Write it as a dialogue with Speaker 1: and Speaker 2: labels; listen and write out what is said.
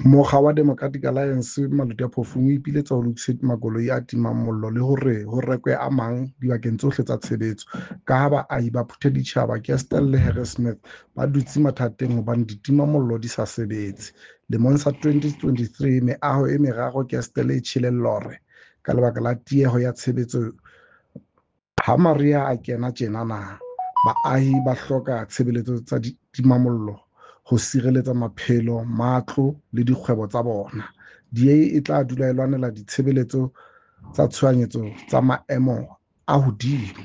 Speaker 1: Mokga wa Democratic Alliance Maluti-A-Phofung o ipiletsa ho lokiswe makoloi a timang mollo le hore ho rekwe a mang dibakeng tsohle tsa tshebetso, kaha baahi ba Phuthaditjhaba, Kestell le Harrismith ba dutse mathateng hobane ditimamollo di sa sebetse. Lemong sa 2023 meaho e meraro Kestell e tjhele lore ka lebaka la tieho ya tshebetso. Ha mariha a kena tjenana, baahi ba hloka tshebeletso tsa ditimamollo ho sireletsa maphelo, matlo le dikgwebo tsa bona. DA e tla dula e lwanela ditshebeletso tsa tshohanyetso tsa maemo a hodimo.